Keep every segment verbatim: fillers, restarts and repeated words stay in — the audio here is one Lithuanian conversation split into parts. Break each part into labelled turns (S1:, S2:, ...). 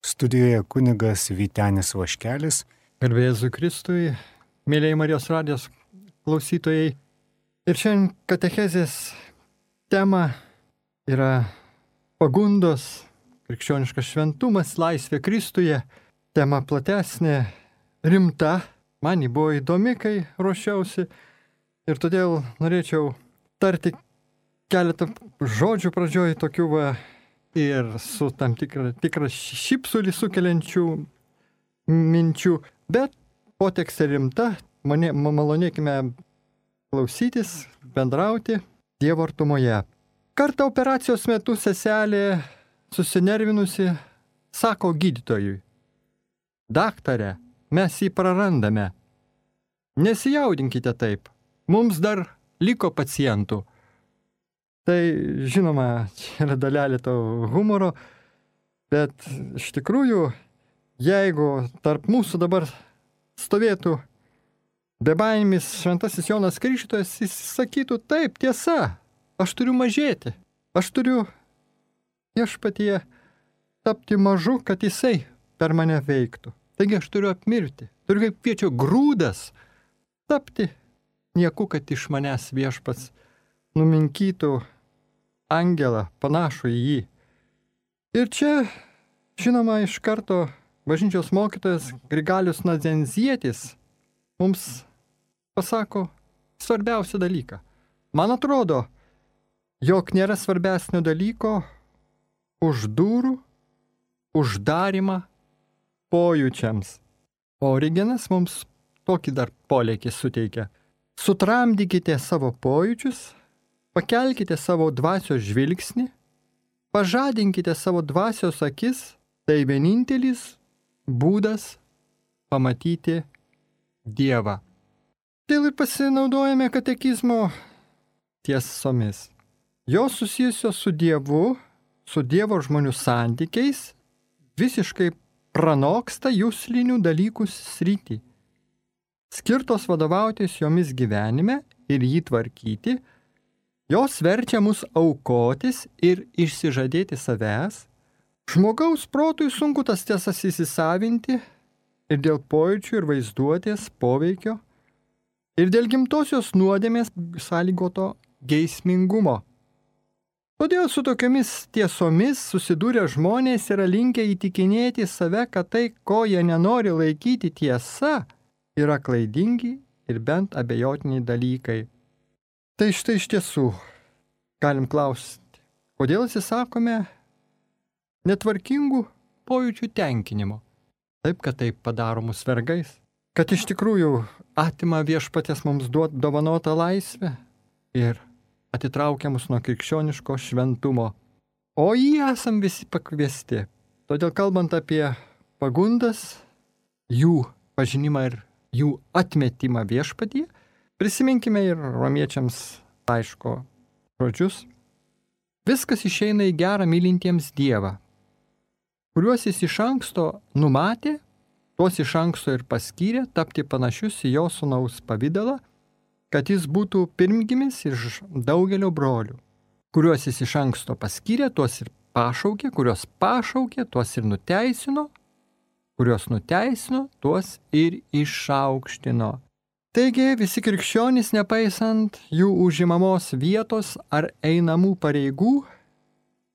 S1: Studijoje kunigas Vytenis Vaškelis.
S2: Garbė Jėzui Kristui, mėlyjei Marijos radijos klausytojai. Ir šiandien katechezės tema yra pagundos, krikščioniškas šventumas, laisvė Kristuje. Tema platesnė, rimta. Man ji buvo įdomi, kai ruošiausi. Ir todėl norėčiau tarti keletą žodžių pradžioj tokių va ir su tam tikra, tikra šypsulį sukeliančių minčių. Bet potekstė rimta, mane, malonėkime klausytis, bendrauti Dievo artumoje. Kartą operacijos metu seselė susinervinusi sako gydytojui: daktare, mes jį prarandame. Nesijaudinkite taip, mums dar liko pacientų. Tai žinoma, čia yra dalelė to humoro, bet iš tikrųjų, jeigu tarp mūsų dabar stovėtų bebaimis šventasis Jonas Krikštytojas, jis sakytų: taip, tiesa, aš turiu mažėti, aš turiu viešpatyje tapti mažu, kad jisai per mane veiktų. Taigi aš turiu apmirti, turiu kaip kviečio grūdas tapti nieku, kad iš manęs viešpats numinkytų angelą panašų į jį. Ir čia, žinoma, iš karto bažnyčios mokytojas Grigalius Nadzenzietis mums pasako svarbiausią dalyką. Man atrodo, jog nėra svarbesnio dalyko už durų uždarimą pojūčiams. O Origenas mums tokį dar polėkį suteikia. Sutramdykite savo pojūčius, pakelkite savo dvasios žvilgsnį, pažadinkite savo dvasios akis, tai vienintelis būdas pamatyti Dievą. Dėl ir pasinaudojame katekizmo tiesomis. Jos susijusios su Dievu, su Dievo žmonių santykiais, visiškai pranoksta juslinių dalykų sritį. Skirtos vadovautis jomis gyvenime ir jį tvarkyti, jos verčia mus aukotis ir išsižadėti savęs. Žmogaus protui sunku tas tiesas įsisavinti ir dėl pojūčių ir vaizduotės poveikio, ir dėl gimtosios nuodėmės sąlygoto geismingumo. Todėl su tokiamis tiesomis susidūrę žmonės yra linkę įtikinėti save, kad tai, ko jie nenori laikyti tiesa, yra klaidingi ir bent abejotiniai dalykai. Tai štai iš tiesų galim klausti, kodėl atsisakome netvarkingų pojūčių tenkinimo. Taip, kad tai padaro mus vergais. Kad iš tikrųjų atima viešpaties mums duot dovanotą laisvę ir atitraukia mus nuo krikščioniško šventumo. O jį esam visi pakviesti. Todėl kalbant apie pagundas, jų pažinimą ir jų atmetimą viešpatyje, prisiminkime ir romiečiams laiško žodžius. Viskas išeina į gerą mylintiems Dievą, kuriuos jis iš anksto numatė, tuos iš anksto ir paskyrė tapti panašius į jo sūnaus pavidalą, kad jis būtų pirmgimis iš daugelio brolių. Kuriuos jis iš anksto paskyrė, tuos ir pašaukė, kuriuos pašaukė, tuos ir nuteisino, kuriuos nuteisino, tuos ir išaukštino. Taigi visi krikščionys, nepaisant jų užimamos vietos ar einamų pareigų,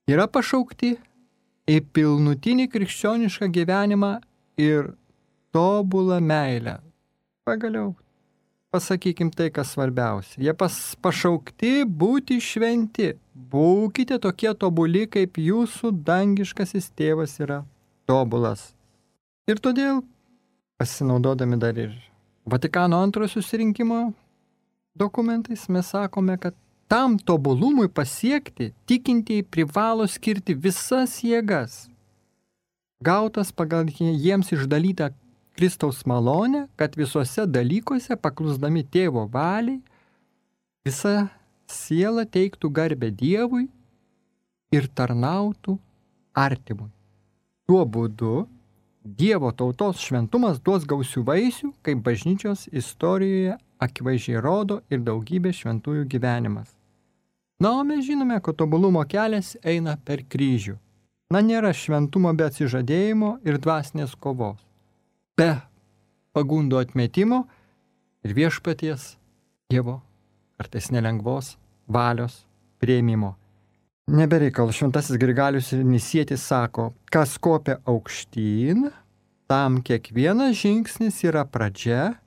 S2: yra pašaukti į pilnutinį krikščionišką gyvenimą ir tobulą meilę. Pagaliau, pasakykim tai, kas svarbiausia. Jie pas, pašaukti būti šventi. Būkite tokie tobuli, kaip jūsų dangiškasis tėvas yra tobulas. Ir todėl, pasinaudodami dar ir Vatikano antrojo susirinkimo dokumentais, mes sakome, kad tam tobulumui pasiekti tikintieji privalo skirti visas jėgas, gautas pagal jiems išdalytą Kristaus malonę, kad visuose dalykuose, paklusdami tėvo valiai, visa siela teiktų garbę Dievui ir tarnautų artimui. Tuo būdu Dievo tautos šventumas duos gausių vaisių, kaip bažnyčios istorijoje akivaizdžiai rodo ir daugybė šventųjų gyvenimas. Na, o mes žinome, kad tobulumo kelias eina per kryžių. Na, nėra šventumo be atsižadėjimo ir dvasinės kovos, be pagundų atmetimo ir viešpaties Dievo, kartais nelengvos valios prieimimo. Nebereikal, šventasis Grigalius ir Nisietis sako, kas kopia aukštyn, tam kiekvienas žingsnis yra pradžia,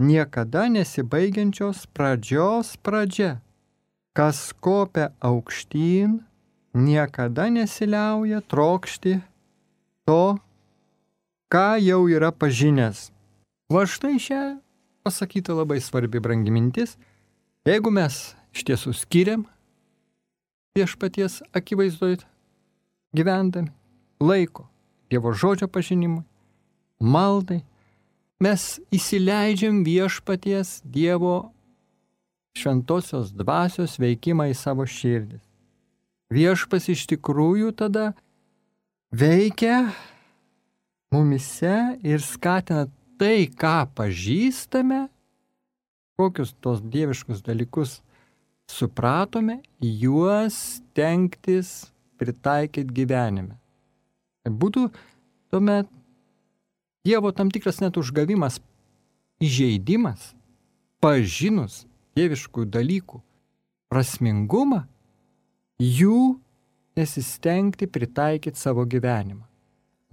S2: niekada nesibaigiančios pradžios pradžia. Kas kopia aukštyn, niekada nesiliauja trokšti to, ką jau yra pažinęs. Va štai čia pasakyta labai svarbi brangi mintis. Jeigu mes iš tiesų skiriam viešpaties akivaizdoj gyvendami laiko Dievo žodžio pažinimui, maldai, mes įsileidžiam viešpaties Dievo šventosios dvasios veikimą į savo širdis. Viešpas iš tikrųjų tada veikia mumise ir skatina tai, ką pažįstame, kokius tos dieviškus dalykus supratome, juos stengtis pritaikyti gyvenime. Būtų tuomet Dievo tam tikras net užgavimas, įžeidimas, pažinus dieviškų dalykų prasmingumą, jų nesistengti pritaikyti savo gyvenimą.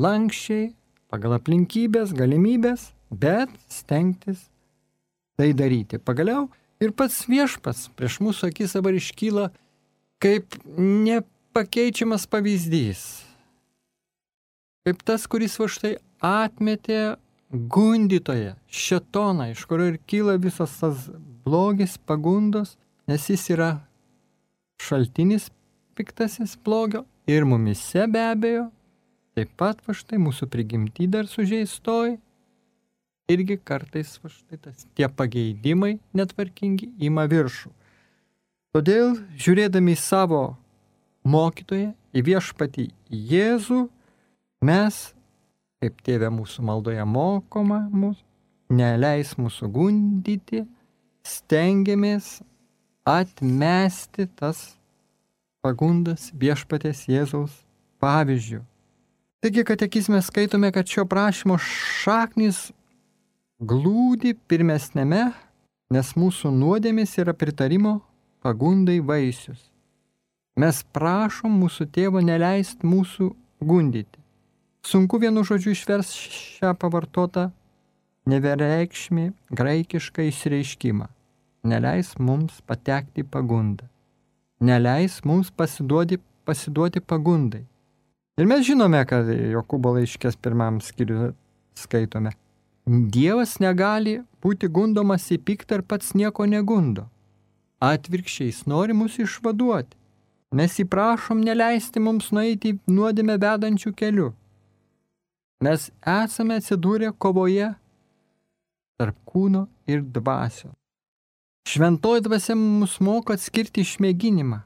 S2: Lankščiai, pagal aplinkybės, galimybės, bet stengtis tai daryti. Pagaliau ir pats viešpats prieš mūsų akis dabar iškyla kaip nepakeičiamas pavyzdys. Kaip tas, kuris va štai atmetė gundytoją, šėtoną, iš kurio ir kyla visas tas blogis, pagundos, nes jis yra šaltinis piktasis blogio ir mumise be abejo, taip pat va štai mūsų prigimty dar sužeistoji, irgi kartais va štai tas, tie pageidimai netvarkingi ima viršų. Todėl, žiūrėdami į savo mokytoją, į viešpatį Jėzų, mes, kaip tėve mūsų maldoje mokoma mūsų, neleis mūsų gundyti, stengiamės atmesti tas pagundas viešpaties Jėzaus pavyzdžių. Taigi, katekizme skaitome, kad šio prašymo šaknis glūdi pirmesnėme, nes mūsų nuodėmės yra pritarimo pagundai vaisius. Mes prašom mūsų tėvo neleist mūsų gundyti. Sunku vienu žodžiu išvers šią pavartotą nevienreikšmį graikišką išreiškimą. Neleis mums patekti į pagundą. Neleis mums pasiduoti, pasiduoti pagundai. Ir mes žinome, kad Jokūbo laiškės pirmam skyriui skaitome. Dievas negali būti gundomas į piktą ir pats nieko negundo. Atvirkščiai jis nori mus išvaduoti. Mes įprašom neleisti mums nueiti nuodėmę vedančių kelių. Mes esame atsidūrę kovoje tarp kūno ir dvasio. Šventoji dvasia mus moko atskirti išmėginimą.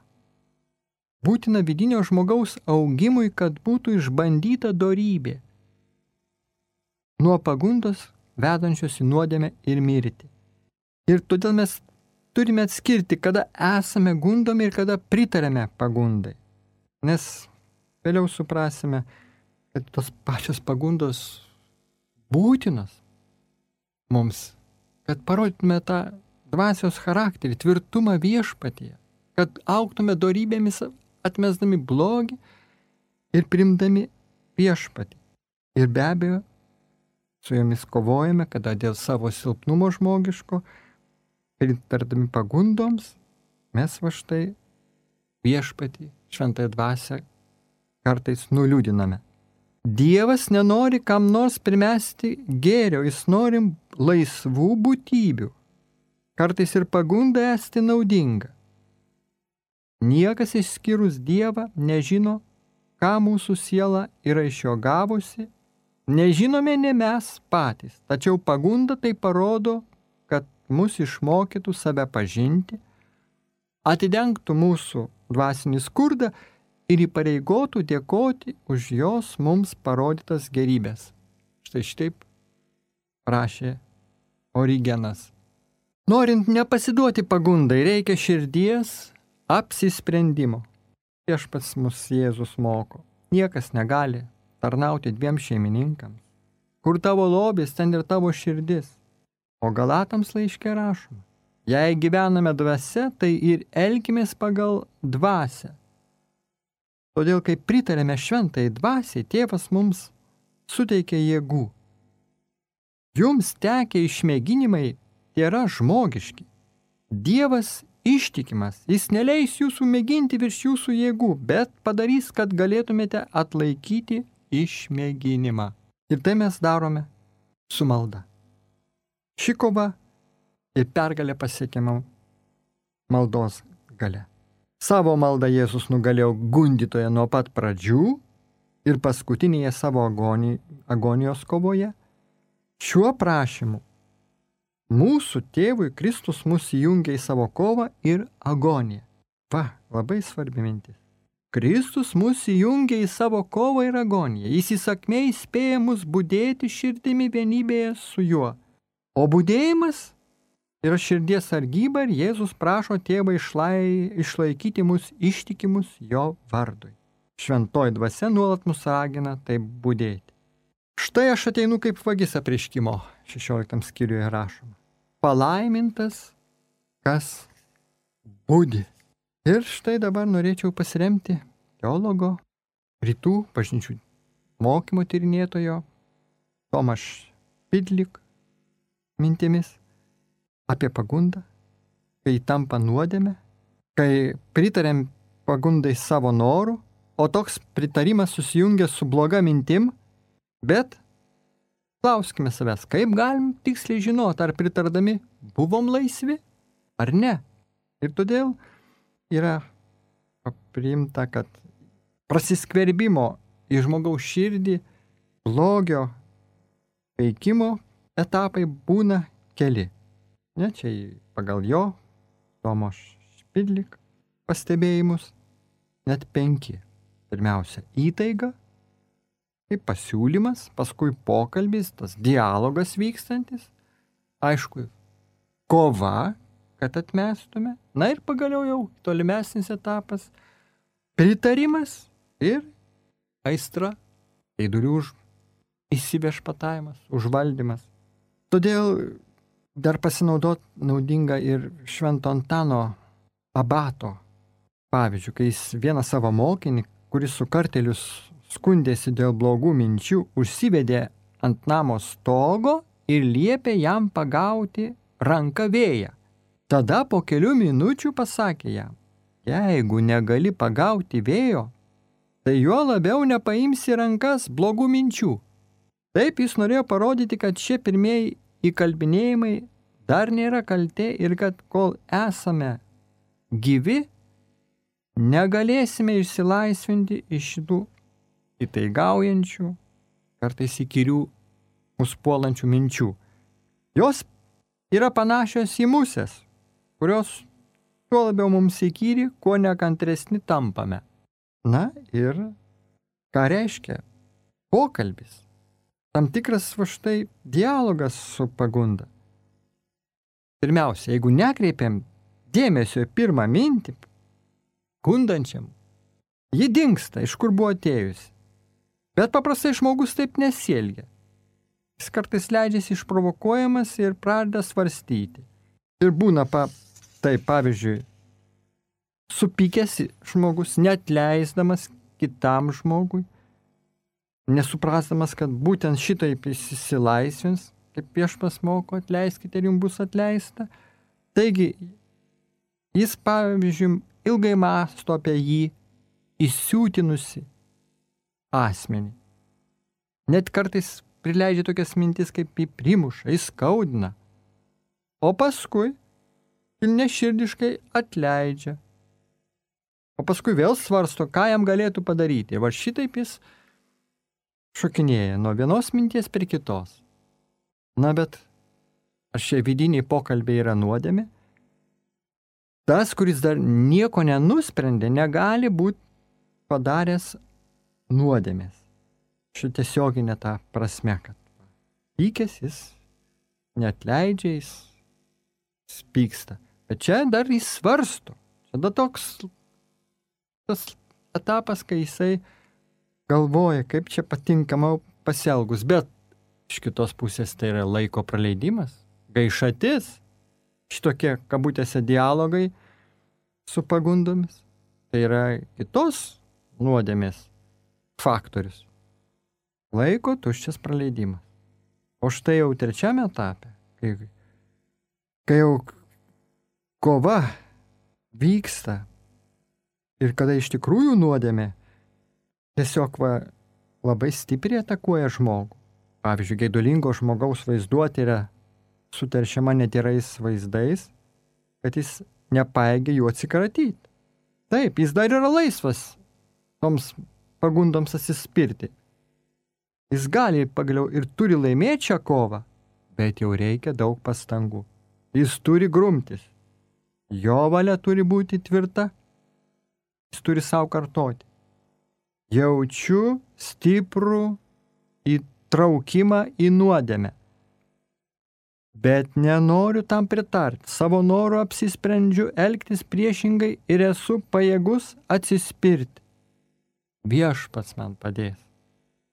S2: Būtina vidinio žmogaus augimui, kad būtų išbandyta dorybė nuo pagundos vedančios į nuodėmę ir mirtį. Ir todėl mes turime atskirti, kada esame gundomi ir kada pritarėme pagundai. Nes vėliau suprasime, kad tos pačios pagundos būtinos mums, kad parodytume tą dvasios charakterį, tvirtumą viešpatyje, kad augtume dorybėmis atmesdami blogį ir primdami viešpatį. Ir be abejo, su jomis kovojame, kada dėl savo silpnumo žmogiško, pritardami pagundoms, mes va štai viešpatį, šventąją dvasią kartais nuliūdiname. Dievas nenori kam nors primesti gėrio, jis nori laisvų būtybių. Kartais ir pagunda esti naudinga. Niekas išskyrus Dievą nežino, ką mūsų siela yra iš jo gavusi, nežinome ne mes patys, tačiau pagunda tai parodo, kad mus išmokytų save pažinti, atidengtų mūsų dvasinį skurdą ir įpareigotų dėkoti už jos mums parodytas gerybės. Štai štaip rašė Origenas. Norint nepasiduoti pagundai, reikia širdies apsisprendimo. Viešpats mus Jėzus moko. niekas negali tarnauti dviem šeimininkams. Kur tavo lobis, ten ir tavo širdis. O Galatams laiške rašoma, jei gyvename dvasia, tai ir elkimės pagal dvasią. Todėl, kai pritarėme šventai dvasiai, tėvas mums suteikia jėgų. Jums tekę išmėginimai yra žmogiški. Dievas ištikimas, jis neleis jūsų mėginti virš jūsų jėgų, bet padarys, kad galėtumėte atlaikyti išmėginimą. Ir tai mes darome su malda. Ši kova ir pergalė pasiekiama maldos gale. Savo maldą Jėzus nugalėjo gundytoje nuo pat pradžių ir paskutinėje savo agoni, agonijos kovoje. Šiuo prašymu mūsų tėvui Kristus mus įjungia į savo kovą ir agoniją. Va, labai svarbi mintis. Kristus mus įjungia į savo kovą ir agoniją. Jis įsakmiai įspėja mus budėti širdimi vienybėje su juo. O budėjimas yra širdies sargyba ir Jėzus prašo tėvą išlai, išlaikyti mus ištikimus jo vardui. Šventoji dvasia nuolat mus ragina taip budėti. Štai aš ateinu kaip vagis apreiškimo, šešioliktam skyriuje rašoma. Palaimintas, kas budi. Ir štai dabar norėčiau pasiremti teologo, rytų bažnyčių mokymo tyrinėtojo Tomaš Pidlik mintimis apie pagundą, kai tampa nuodėmė, kai pritarėm pagundai savo norų, o toks pritarimas susijungia su bloga mintim, bet klauskime savęs, kaip galim tiksliai žinoti, ar pritardami buvom laisvi, ar ne. Ir todėl yra priimta, kad prasiskverbimo į žmogaus širdį blogio veikimo etapai būna keli. Ne, čia pagal jo, Tomo Špidlik pastebėjimus, net penki. Pirmiausia, įtaiga, kaip pasiūlymas, paskui pokalbis, tas dialogas vykstantis, aišku, kova, kad atmestume, na ir pagaliau jau tolimesnis etapas, pritarimas ir aistra, eidurių už įsivešpatavimas, užvaldymas. Todėl dar pasinaudot naudinga ir Švento Antano abato pavyzdžių, kai jis vieną savo mokinį, kuris su kartelius skundėsi dėl blogų minčių, užsivedė ant namo stogo ir liepė jam pagauti ranką vėją. Tada po kelių minučių pasakė jam, jeigu negali pagauti vėjo, tai juo labiau nepaimsi rankas blogų minčių. Taip jis norėjo parodyti, kad šie pirmieji įkalbinėjimai dar nėra kaltė ir kad kol esame gyvi, negalėsime išsilaisvinti iš šitų įtaigaujančių, kartais įkyrių mus puolančių minčių. Jos yra panašios į musės, kurios tuo labiau mums įkyri, kuo nekantresni tampame. Na ir ką reiškia pokalbis? Tam tikras va štai dialogas su pagunda. Pirmiausia, jeigu nekreipiam dėmesio į pirmą mintį, gundančiam, ji dingsta, iš kur buvo atėjusi. Bet paprastai žmogus taip nesielgia. Jis kartais leidžiasi išprovokuojamas ir pradeda svarstyti. Ir būna, pa, tai pavyzdžiui, supykęs žmogus, net leisdamas kitam žmogui, nesuprasdamas, kad būtent šitaip jis įsilaisvins, kaip viešpats moko, atleiskite ir jums bus atleista. Taigi, jis, pavyzdžiui, ilgai mąsto apie jį įsiūtinusi asmenį. Net kartais prileidžia tokias mintis, kaip jį primuša, įskaudina. O paskui kilniaširdiškai atleidžia. O paskui vėl svarsto, ką jam galėtų padaryti. Va šitaip jis šokinėja nuo vienos minties prie kitos. Na bet ar šie vidiniai pokalbiai yra nuodėmė? Tas, kuris dar nieko nenusprendė, negali būti padaręs nuodėmės. Ši tiesioginė ta prasme, kad pykęs jis neatleidžia, jis pyksta. Bet čia dar jis svarsto. Čia dar toks tas etapas, kai jisai galvoja, kaip čia patinkama pasielgus, bet iš kitos pusės tai yra laiko praleidimas, gaišatis, šitokie kabutėse dialogai su pagundomis, tai yra kitos nuodėmės faktorius. Laiko tuščias praleidimas. O štai jau trečiame etape, kai, kai jau kova vyksta ir kada iš tikrųjų nuodėmė tiesiog va, labai stipriai atakuoja žmogų. Pavyzdžiui, geidulingo žmogaus vaizduotė yra suteršiama netyrais vaizdais, kad jis nepaėgia jų atsikratyti. Taip, jis dar yra laisvas toms pagundoms atsispirti. Jis gali pagaliau ir turi laimėti šią kovą, bet jau reikia daug pastangų. Jis turi grumtis. Jo valia turi būti tvirta. Jis turi savo kartoti. Jaučiu stiprų įtraukimą į nuodėmę. Bet nenoriu tam pritarti. Savo noru apsisprendžiu elgtis priešingai ir esu pajėgus atsispirti. Viešpats man padės.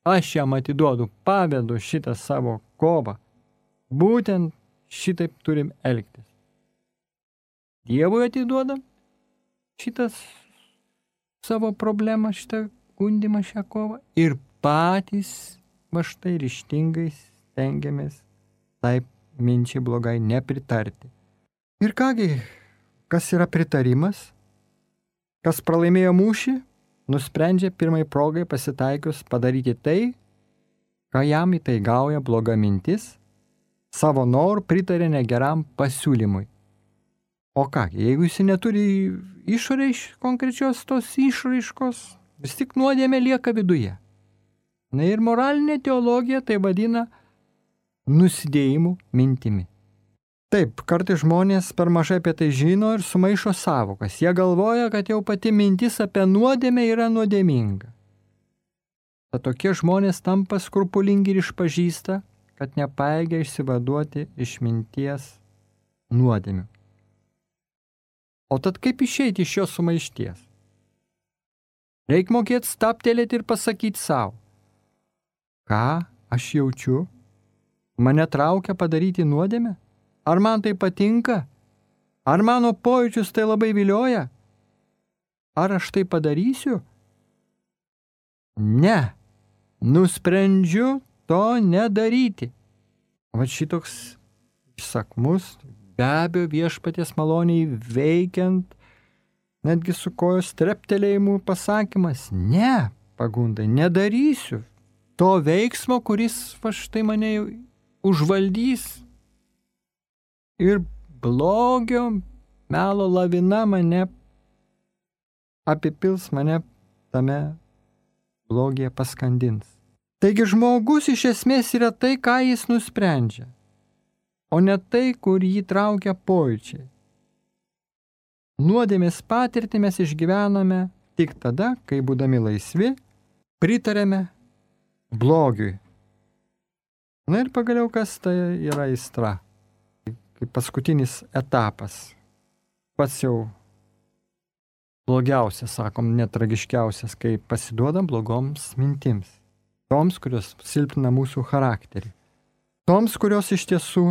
S2: Aš jam atiduodu, pavedu šitą savo kovą. Būtent šitaip turim elgtis. Dievui atiduodam šitas savo problemą, šitą gundimą, šią kovą ir patys va štai ryžtingai stengiamės taip minčiai blogai nepritarti. Ir kągi, kas yra pritarimas? Kas pralaimėjo mūšį, nusprendžia pirmai progai pasitaikius padaryti tai, ką jam įtaigauja bloga mintis, savo norų pritarė negeram pasiūlymui. O ką, jeigu jis neturi išorės konkrečios tos išraiškos, vis tik nuodėmė lieka viduje. Na ir moralinė teologija tai vadina nusidėjimų mintimi. Taip, kartais žmonės per mažai apie tai žino ir sumaišo sąvokas. Jie galvoja, kad jau pati mintis apie nuodėmę yra nuodėminga. Tad tokie žmonės tampa skrupulingi ir išpažįsta, kad nepajėgia išsivaduoti iš minties nuodėmių. O tad kaip išeiti iš šios sumaišties? Reik mokėti stabtelėti ir pasakyti savo, ką aš jaučiu, mane traukia padaryti nuodėmę? Ar man tai patinka? Ar mano pojūčius tai labai vilioja? Ar aš tai padarysiu? Ne, nusprendžiu to nedaryti. Va šitoks įsakmus, be abejo viešpaties maloniai veikiant, netgi su kojos treptelėjimu pasakymas, ne, pagundai, nedarysiu to veiksmo, kuris va štai mane užvaldys. Ir blogio melo lavina mane apipils, mane tame blogyje paskandins. Taigi žmogus iš esmės yra tai, ką jis nusprendžia, o ne tai, kur jį traukia pojūčiai. Nuodėmės patirtį mes išgyvename tik tada, kai būdami laisvi, pritarėme blogiui. Na ir pagaliau, kas tai yra aistra? Kaip paskutinis etapas. Pats jau blogiausias, sakom, netragiškiausias, kai pasiduodam blogoms mintims. Toms, kurios silpnina mūsų charakterį. Toms, kurios iš tiesų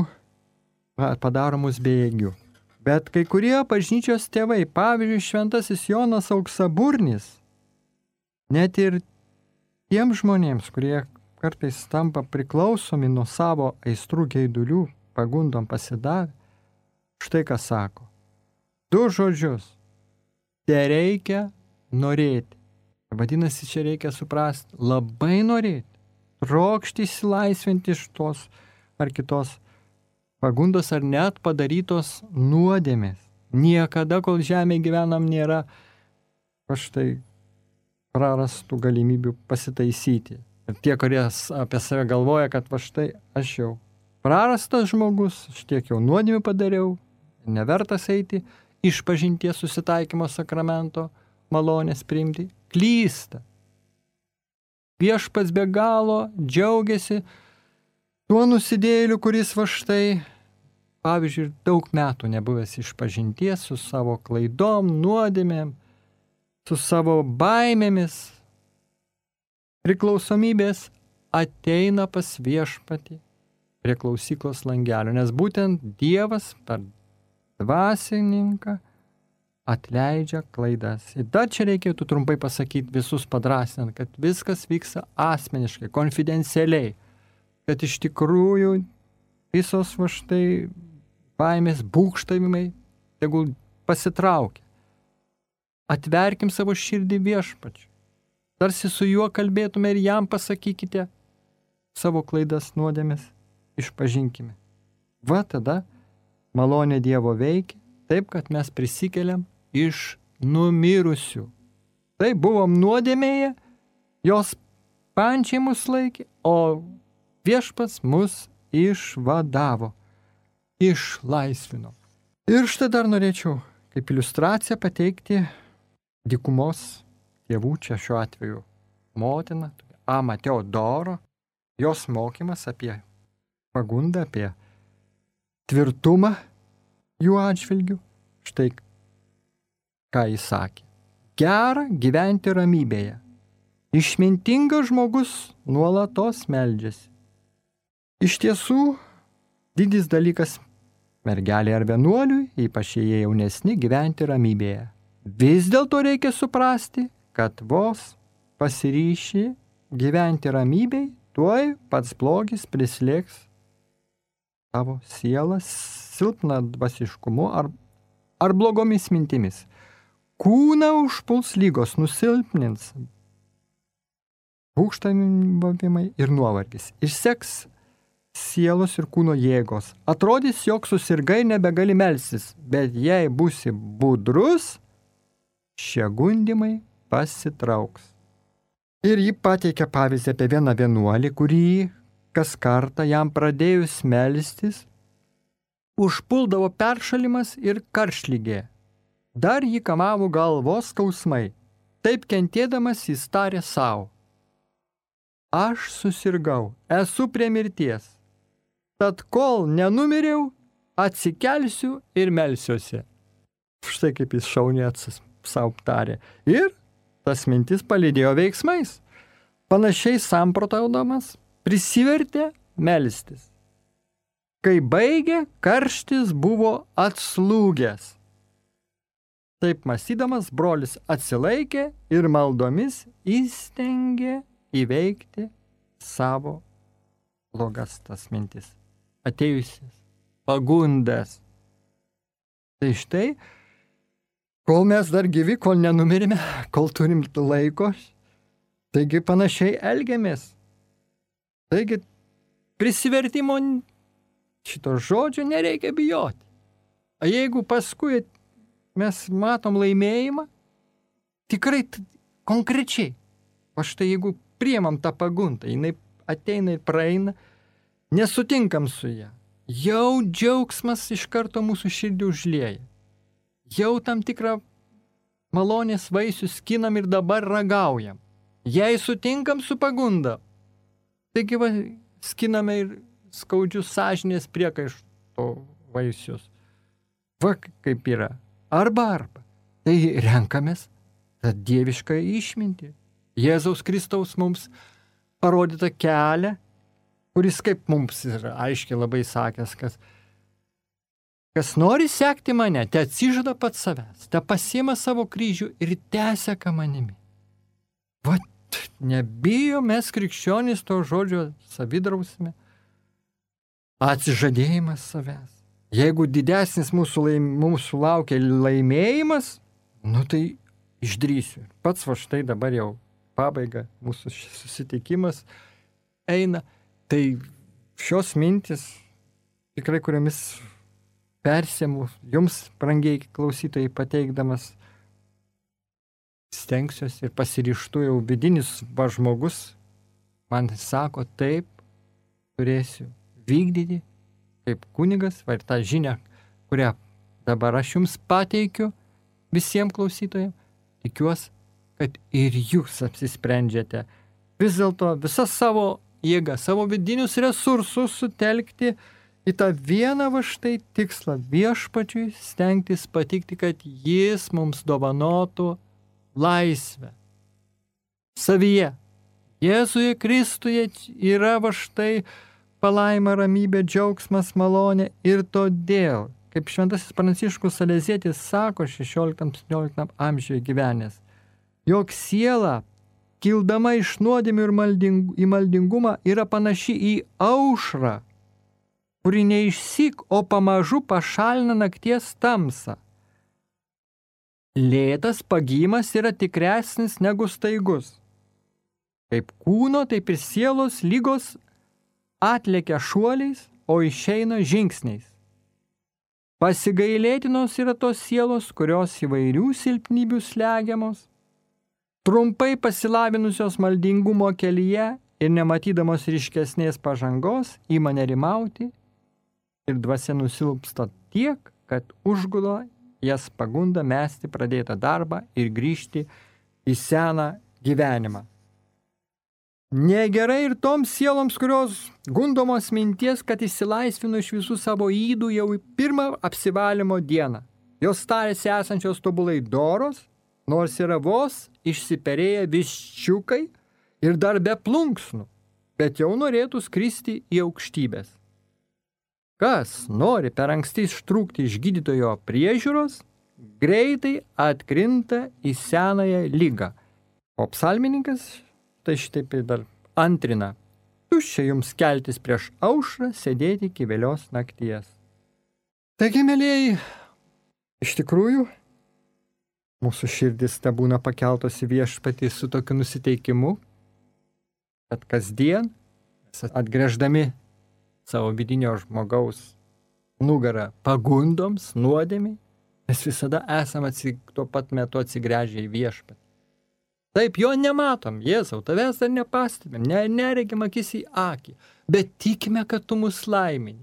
S2: padaro mus bejėgių. Bet kai kurie bažnyčios tėvai, pavyzdžiui, šventasis Jonas Auksaburnis, net ir tiem žmonėms, kurie kartais tampa priklausomi nuo savo aistrų geidulių, pagundom pasidavę, štai ką sako. Du žodžius. Te reikia norėti. Vadinasi, čia reikia suprasti, labai norėti. Trokšti išsilaisvinti iš tos ar kitos pagundos ar net padarytos nuodėmės. Niekada, kol žemėje gyvenam, nėra štai prarastų galimybių pasitaisyti. Ir tie, kurie apie save galvoja, kad va štai aš jau prarastas žmogus, aš tiek jau nuodėmių padariau, nevertas eiti iš pažinties susitaikymo sakramento malonės priimti, klysta. Viešpats be galo džiaugiasi tuo nusidėjėliu, kuris va štai, pavyzdžiui, daug metų nebuvęs iš pažinties su savo klaidom, nuodėmėm, su savo baimėmis, priklausomybės ateina pas viešpatį prie klausyklos langelio, nes būtent Dievas per dvasininką atleidžia klaidas. Ir dar čia reikėtų trumpai pasakyti visus padrasinant, kad viskas vyksta asmeniškai, konfidencialiai, kad iš tikrųjų visos va štai baimės, būgštavimai tegul pasitraukia. Atverkim savo širdį viešpačiui. Tarsi su juo kalbėtume ir jam pasakykite savo klaidas, nuodėmes, išpažinkime. Va tada malonė Dievo veikia taip, kad mes prisikeliam iš numirusių. Tai buvom nuodėmėje, jos pančiai mus laikė, o viešpats mus išvadavo, išlaisvino. Ir štai dar norėčiau kaip iliustraciją pateikti dykumos tėvų, čia šiuo atveju motina, Ama Teodoro, jos mokymas apie pagundą, apie tvirtumą jų atžvilgių. Štai ką jis sakė. Gera gyventi ramybėje. Išmintingas žmogus nuolatos meldžiasi. Iš tiesų, didis dalykas mergelė ar vienuoliui, ypač jie jaunesni, gyventi ramybėje. Vis dėlto reikia suprasti, kad vos pasiryši gyventi ramybėj, tuoj pats blogis prislėgs tavo sielą silpną dvasiškumu ar, ar blogomis mintimis. Kūną užpuls lygos, nusilpnins būgštavimai ir nuovargis. Išseks sielos ir kūno jėgos. Atrodys, jog susirgai nebegali melstis, bet jei būsi budrus, šie gundimai pasitrauks. Ir ji pateikia pavyzdį apie vieną vienuolį, kurį kas kartą jam pradėjus melstis, užpuldavo peršalimas ir karštligė. Dar jį kamavo galvos skausmai. Taip kentėdamas jis tarė savo. Aš susirgau, esu prie mirties. Tad kol nenumiriau, atsikelsiu ir melsiuosi. Štai kaip jis šauniai savo tarė. Ir tas mintis palydėjo veiksmais. Panašiai samprotaudamas prisivertė melstis. Kai baigė, karštis buvo atslūgęs. Taip mąstydamas, brolis atsilaikė ir maldomis įstengė įveikti savo blogas tas mintis, atėjusias pagundas. Tai štai, kol mes dar gyvi, kol nenumirime, kol turim laiko, taigi panašiai elgiamės. Taigi prisivertimo šito žodžio nereikia bijoti. O jeigu paskui mes matom laimėjimą, tikrai t- konkrečiai, o štai jeigu priemam tą pagundą, jinai ateina ir praeina, nesutinkam su ją, jau džiaugsmas iš karto mūsų širdį užlieja. Jau tam tikrą malonės vaisių skinam ir dabar ragaujam. Jei sutinkam su pagunda, taigi va, skiname ir skaudžius sąžinės priekaišto vaisius. Va kaip yra. Arba arba. Tai renkamės tą dievišką išmintį. Jėzaus Kristaus mums parodytą kelią, kuris kaip mums yra aiškiai labai sakęs, kas, kas nori sekti mane, te atsižada pats savęs, te pasiima savo kryžių ir teseka manimi. Va, nebijo mes krikščionys to žodžio savidrausme. Atsižadėjimas savęs. Jeigu didesnis mūsų, laim, mūsų laukia laimėjimas, nu tai išdrįsiu. Pats va štai dabar jau pabaiga, mūsų susitikimas eina. Tai šios mintis, tikrai kuriomis persiemu jums, brangiai klausytojai, pateikdamas, stengsiuosi ir pasiryžtu jau vidinis va žmogus, man sako, taip, turėsiu vykdyti kaip kunigas, va ir tą žinią, kurią dabar aš jums pateikiu visiems klausytojams, tikiuosi, kad ir jūs apsisprendžiate vis dėlto visą savo jėgą, savo vidinius resursus sutelkti į tą vieną va štai tikslą viešpačiui stengtis patikti, kad jis mums dovanotų laisvę savyje, Jėzuje Kristuje yra va štai palaima, ramybė, džiaugsmas, malonė ir todėl, kaip šventasis Pranciškus Salezietis sako šešioliktam-septynioliktam amžiuje gyvenęs, jog siela, kildama iš nuodėmių ir malding, į maldingumą, yra panaši į aušrą, kuri neišsyk, o pamažu pašalina nakties tamsą. Lėtas pagymas yra tikresnis negu staigus. Kaip kūno, taip ir sielos lygos atlekia šuoliais, o išeina žingsniais. Pasigailėtinos yra tos sielos, kurios įvairių silpnybių slegiamos, trumpai pasilavinusios maldingumo kelyje ir nematydamos ryškesnės pažangos ima nerimauti ir dvasia nusilpsta tiek, kad užgulo jas pagunda mesti pradėtą darbą ir grįžti į seną gyvenimą. Negerai ir toms sieloms, kurios gundomos minties, kad išsilaisvino iš visų savo ydų jau į pirmą apsivalymo dieną. Jos tarėsi esančios tobulai doros, nors yra vos išsiperėję viščiukai ir dar be plunksnų, bet jau norėtų skristi į aukštybės. Kas nori per anksti ištrūkti iš gydytojo priežiūros, greitai atkrinta į senąją ligą. O psalmininkas tai šitaip dar antrina. Tuščia jums keltis prieš aušrą, sėdėti iki vėlios nakties. Taigi, mielieji, iš tikrųjų, mūsų širdis te būna pakeltos į viešpatį su tokiu nusiteikimu, kad kasdien, atgręždami savo vidinio žmogaus nugarą pagundoms, nuodėmiai, mes visada esame tuo pat metu atsigręžę į viešpatį. Taip, jo nematom, Jėzau, tavęs dar nepastebėm, ne, neregim akis į akį, bet tikime, kad tu mus laimini.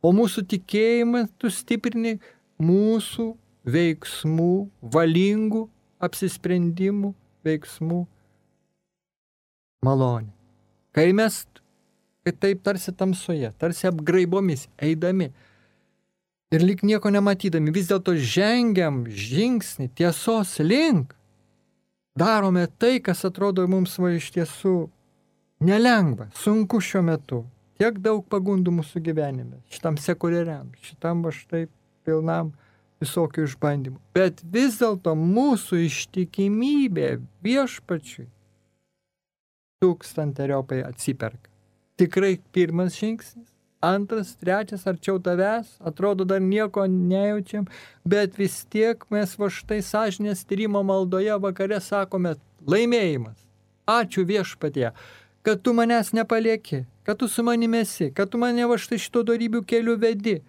S2: O mūsų tikėjimą tu stiprini mūsų veiksmų, valingų apsisprendimų, veiksmų malonė. Kai mes, kai taip tarsi tamsoje, tarsi apgraibomis eidami ir lyg nieko nematydami, vis dėlto žengiam žingsnį tiesos link, darome tai, kas atrodo mums va iš tiesų nelengva, sunku šiuo metu. Tiek daug pagundų mūsų gyvenime, šitam sekuliariam, šitam va štai pilnam visokių išbandymų. Bet vis dėlto mūsų ištikimybė viešpačiui tūkstanteriopai atsiperka. Tikrai pirmas žingsnis, antras, trečias, arčiau tavęs, atrodo dar nieko nejaučiam, bet vis tiek mes va štai sąžinės tyrimo maldoje vakare sakome laimėjimas. Ačiū viešpatie, kad tu manęs nepalieki, kad tu su manimi esi, kad tu mane va štai šito dorybių keliu vedi,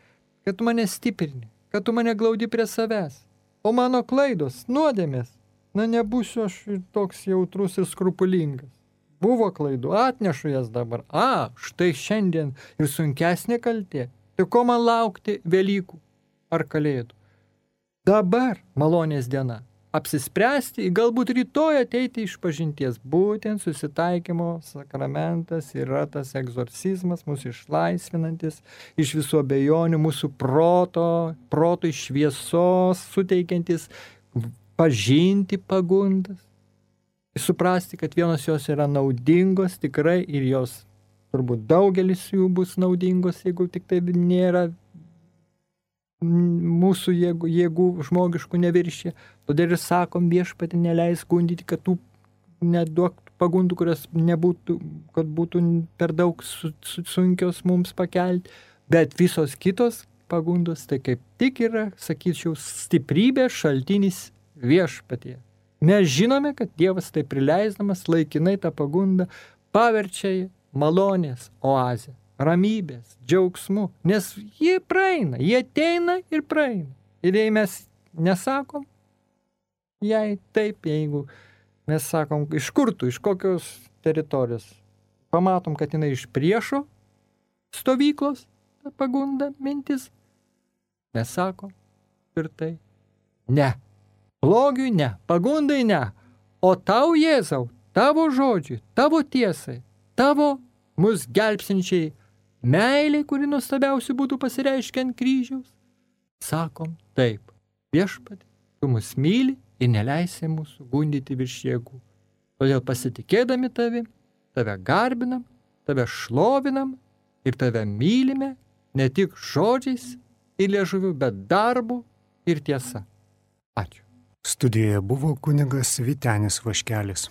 S2: kad tu mane stiprini, kad tu mane glaudi prie savęs. O mano klaidos, nuodėmės, na nebūsiu aš toks jautrus ir skrupulingas. Buvo klaidų, atnešu jas dabar. A, štai šiandien ir sunkesnė kaltė. Tai ko man laukti Velykų ar Kalėdų? Dabar malonės diena. Apsispręsti, galbūt rytoj ateiti iš pažinties. Būtent susitaikymo sakramentas yra tas egzorcizmas, mūsų išlaisvinantis iš visų abejonių, mūsų proto, protui šviesos, suteikiantis pažinti pagundas. Suprasti, kad vienos jos yra naudingos tikrai ir jos turbūt daugelis jų bus naudingos, jeigu tik tai nėra mūsų jėgų, jėgų žmogiškų neviršė. Todėl ir sakom viešpatį neleis gundyti, kad tų neduok pagundų, kurios nebūtų, kad būtų per daug su, su, sunkios mums pakelti, bet visos kitos pagundos tai kaip tik yra, sakyčiau, stiprybė šaltinis viešpatie. Mes žinome, kad Dievas tai prileisdamas laikinai tą pagundą paverčia malonės oazę, ramybės, džiaugsmu, nes jie praeina, jie ateina ir praeina. Ir jei mes nesakom, jei taip, jeigu mes sakom, iš kur tu, iš kokios teritorijos, pamatom, kad jinai iš priešo stovyklos, ta pagunda, mintis, mes sakom tvirtai, ne. Blogiui ne, pagundai ne, o tau, Jėzau, tavo žodžiui, tavo tiesai, tavo mus gelbsinčiai meiliai, kuri nuostabiausiai būtų pasireiškę ant kryžiaus, sakom taip, viešpatie, tu mus myli ir neleisi mūsų gundyti virš jėgų. Todėl pasitikėdami tavi, tave garbinam, tave šlovinam ir tave mylime ne tik žodžiais ir liežuviu, bet darbu ir tiesa. Ačiū.
S1: Studijoje buvo kunigas Vytenis Vaškelis.